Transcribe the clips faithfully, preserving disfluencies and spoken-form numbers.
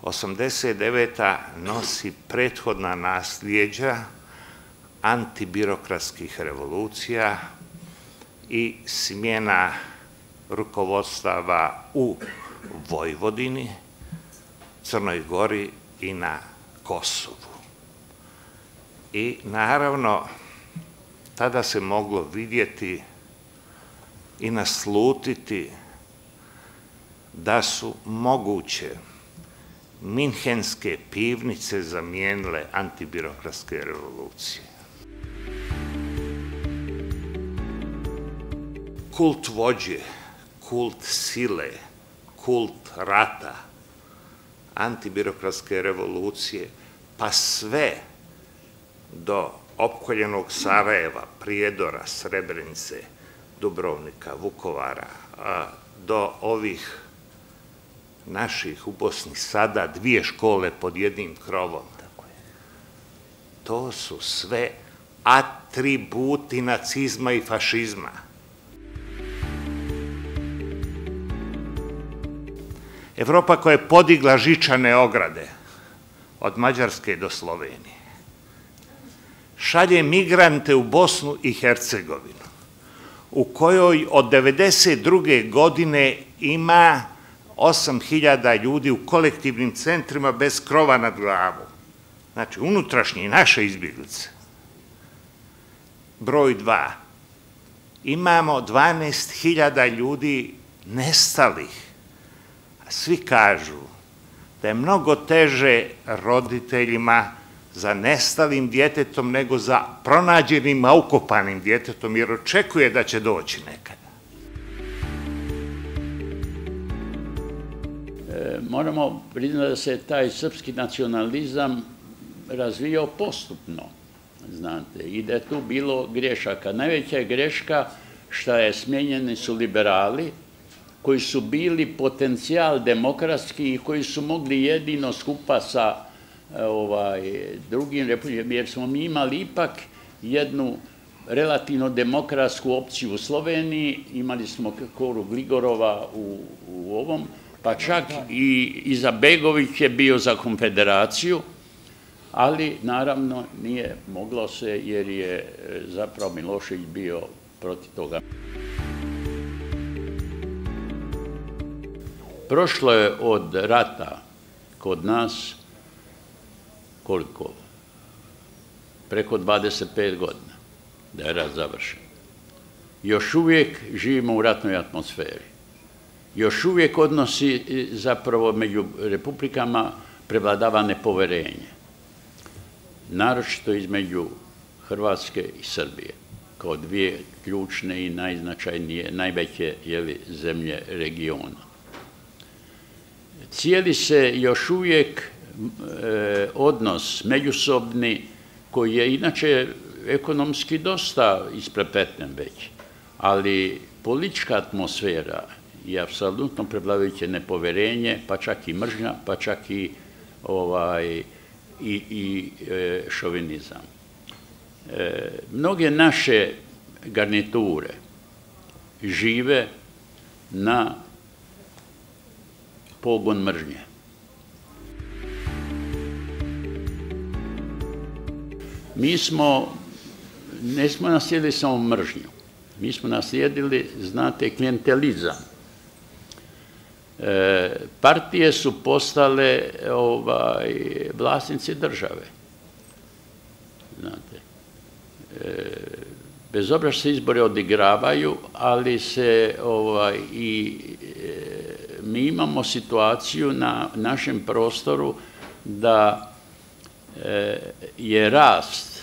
osamdeset deveta nosi prethodna nasljeđa antibirokratskih revolucija i smjena rukovodstava u Vojvodini, Crnoj Gori i na Kosovu. I naravno, tada se moglo vidjeti i naslutiti da su moguće minhenske pivnice zamijenile antibirokratske revolucije. Kult vođe, kult sile, kult rata, antibirokratske revolucije, pa sve do opkoljenog Sarajeva, Prijedora, Srebrenice, Dubrovnika, Vukovara, do ovih naših u Bosni sada dvije škole pod jednim krovom. To su sve atributi nacizma i fašizma. Evropa koja je podigla žičane ograde od Mađarske do Slovenije šalje migrante u Bosnu i Hercegovinu, u kojoj od devedeset druge godine ima osam hiljada ljudi u kolektivnim centrima bez krova nad glavom. Znači, unutrašnje naše izbjeglice. Broj dva. Imamo dvanaest hiljada ljudi nestalih. Svi kažu da je mnogo teže roditeljima za nestalim djetetom nego za pronađenim, a ukopanim djetetom, jer očekuje da će doći nekada. Moramo priznati da se taj srpski nacionalizam razvijao postupno, znate, i da je tu bilo grešaka. Najveća je greška što je smijenjeni su liberali, koji su bili potencijal demokratski i koji su mogli jedino skupa sa drugim republikama, jer smo mi imali ipak jednu relativno demokratsku opciju u Sloveniji, imali smo Koru Gligorova u ovom, pa čak i Izetbegović je bio za konfederaciju, ali naravno nije moglo se jer je zapravo Milošević bio protiv toga. Prošlo je od rata kod nas koliko? Preko dvadeset pet godina da je rat završen. Još uvijek živimo u ratnoj atmosferi. Još uvijek odnosi zapravo među republikama prevladava nepoverenje. Naročito između Hrvatske i Srbije, kao dvije ključne i najznačajnije, najveće zemlje regiona. Cijeli se još uvijek odnos međusobni, koji je inače ekonomski dosta isprepleten već, ali politička atmosfera je apsolutno prevladajuće nepoverenje, pa čak i mržnja, pa čak i šovinizam. Mnoge naše garniture žive na pogon mržnje. Mi smo, ne smo naslijedili samo mržnju, mi smo naslijedili, znate, klijentelizam. Partije su postale vlasnici države. Znate, bez obzira što se izbori odigravaju, ali se i mi imamo situaciju na našem prostoru da je rast,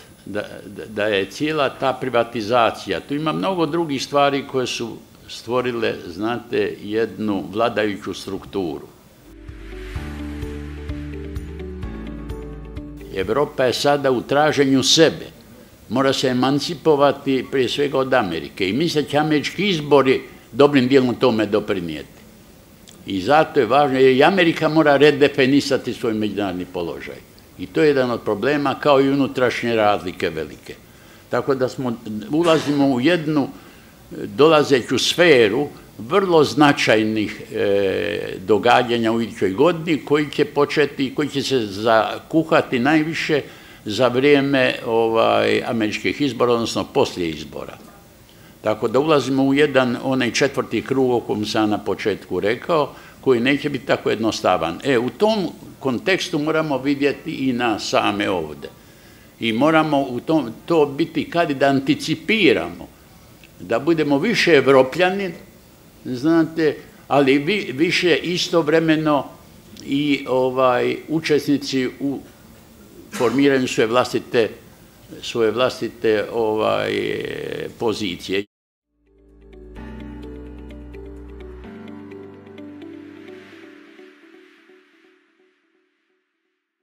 da je cijela ta privatizacija, tu ima mnogo drugih stvari koje su stvorile, znate, jednu vladajuću strukturu. Evropa je sada u traženju sebe, mora se emancipovati prije svega od Amerike i misle će američki izbori dobrim dijelom tome doprinijeti. I zato je važno, jer i Amerika mora redefinisati svoj međunarodni položaj. I to je jedan od problema, kao i unutrašnje razlike velike. Tako da smo, ulazimo u jednu dolazeću sferu vrlo značajnih e, događanja u idućoj godini koji će početi, koji će se zakuhati najviše za vrijeme ovaj, američkih izbora, odnosno poslije izbora. Tako da ulazimo u jedan onaj četvrti krug o kojem sam na početku rekao, koji neće biti tako jednostavan. E, u tom kontekstu moramo vidjeti i nas same ovdje. I moramo u tom, to biti kad da anticipiramo, da budemo više Evropljani, znate, ali vi, više istovremeno i ovaj, učesnici u formiranju svoje vlastite, svoje vlastite ovaj, pozicije.